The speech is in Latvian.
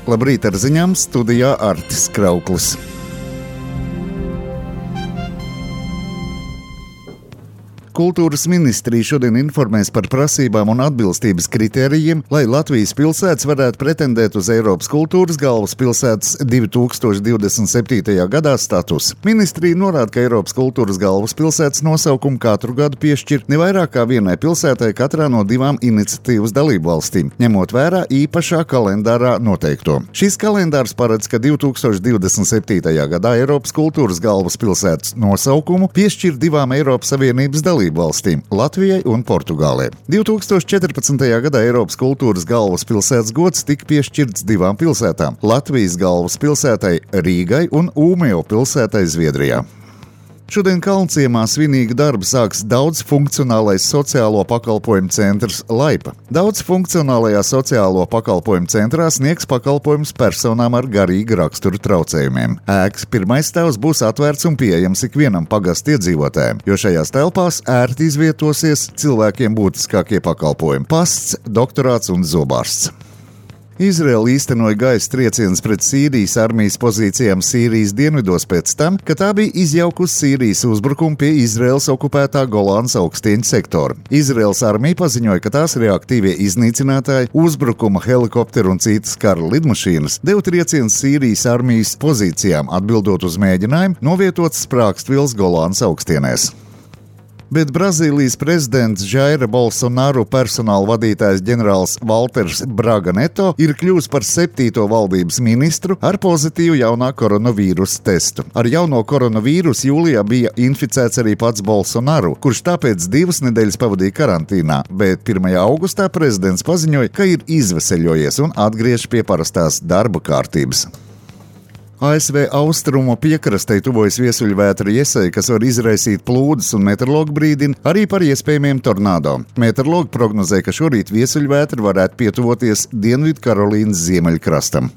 Labrīt ar ziņām, studijā Artis Krauklis. Kultūras ministrija šodien informēs par prasībām un atbilstības kritērijiem, lai Latvijas pilsētas varētu pretendēt uz Eiropas kultūras galvaspilsētas 2027. gadā statusu. Ministrija norāda, ka Eiropas kultūras galvaspilsētas nosaukumu katru gadu piešķir ne vairāk kā vienai pilsētai katrā no 2 iniciatīvas dalībvalstīm, ņemot vērā īpašā kalendārā noteikto. Šis kalendārs paredz, ka 2027. gadā Eiropas kultūras galvaspilsētas nosaukumu piešķir 2 Eiropas Savienības dalībvalstīm - Latvijai un Portugālei. 2014. gadā Eiropas kultūras galvaspilsētas gods tika piešķirts 2 pilsētām - Latvijas galvaspilsētai Rīgai un Ūmeo pilsētai Zviedrijā. Šodien Kalnciemā svinīgu darbu sāks daudzfunkcionālais sociālo pakalpojumu centrs Laipa. Daudzfunkcionālajā sociālo pakalpojumu centrā sniegs pakalpojumus personām ar garīgu raksturu traucējumiem. Ēkas pirmais stāvs būs atvērts un pieejams ikvienam pagasta iedzīvotājiem, jo šajās telpās ērti izvietosies cilvēkiem būtiskākie pakalpojumi - pasts, doktorāts un zobārsts. Izraela īstenoja gaisa triecienus pret Sīrijas armijas pozīcijām Sīrijas dienvidos pēc tam, kad tā bija izjaukusi Sīrijas uzbrukumu pie Izraēlas okupētā Golānas augstieņu sektora. Izraēlas armija paziņoja, ka tās reaktīvie iznīcinātāji, uzbrukuma helikopteru un citas kara lidmašīnas deva triecienus Sīrijas armijas pozīcijām, atbildot uz mēģinājumu novietot sprāgstvielas Golānas augstienēs. Bet Brazīlijas prezidents Jaira Bolsonaro personāla vadītājs ģenerālis Valters Braga Neto ir kļuvis par 7. valdības ministru ar pozitīvu jaunā koronavīrusa testu. Ar jauno koronavīrusu jūlijā bija inficēts arī pats Bolsonaro, kurš tāpēc 2 nedēļas pavadīja karantīnā, bet 1. augustā prezidents paziņoja, ka ir izveseļojies un atgriežas pie parastās darba kārtības. ASV austrumu piekrastei tuvojas viesuļvētra Jesai, kas var izraisīt plūdus, un meteorologi brīdina arī par iespējamiem tornado. Meteorologi prognozē, ka šorīt viesuļvētra varētu pietuvoties Dienvidu Karolīnas ziemeļkrastam.